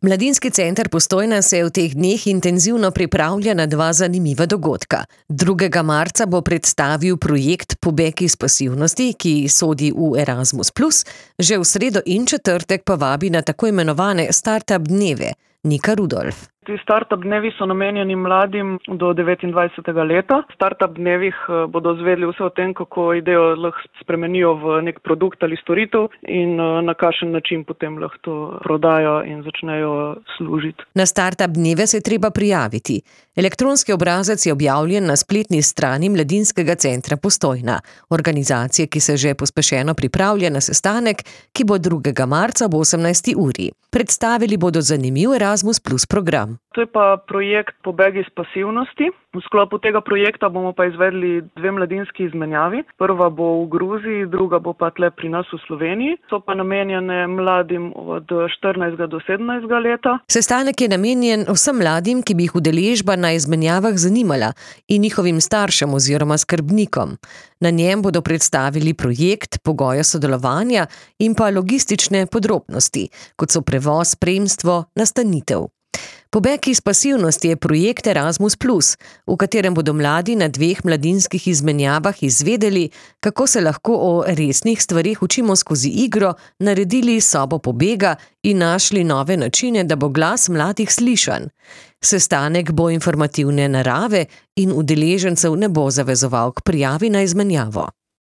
Mladinski center Postojna se v teh dneh intenzivno pripravlja na dva zanimiva dogodka. 2. marca bo predstavil projekt Pobeg iz pasivnosti, ki sodi v Erasmus+, že v sredo in četrtek pa vabi na tako imenovane Startup dneve. Nika Rudolf. Ti startup dnevi so namenjeni mladim do 29. leta. V startup dnevih bodo izvedeli vse o tem, kako idejo lahko spremenijo v nek produkt ali storitev in na kakšen način potem lahko to prodajo in začnejo služiti. Na startup dneve se je treba prijaviti. Elektronski obrazec je objavljen na spletni strani Mladinskega centra Postojna, organizacije, ki se že pospešeno pripravlja na sestanek, ki bo 2. marca ob 18. uri. Predstavili bodo zanimiv Erasmus+ program. To je pa projekt Pobeg iz pasivnosti. V sklopu tega projekta bomo pa izvedli 2 mladinski izmenjavi. Prva bo v Gruziji, druga bo pa tle pri nas v Sloveniji. So pa namenjene mladim od 14 do 17 leta. Sestanek je namenjen vsem mladim, ki bi jih udeležba na izmenjavah zanimala, in njihovim staršem oziroma skrbnikom. Na njem bodo predstavili projekt, pogoje sodelovanja in pa logistične podrobnosti, kot so prevoz, spremstvo, nastanitev. Pobeg iz pasivnosti je projekt Erasmus+, v katerem bodo mladi na 2 mladinskih izmenjavah izvedeli, kako se lahko o resnih stvarih učimo skozi igro, naredili sobo pobega in našli nove načine, da bo glas mladih slišan. Sestanek bo informativne narave in udeležencev ne bo zavezoval k prijavi na izmenjavo.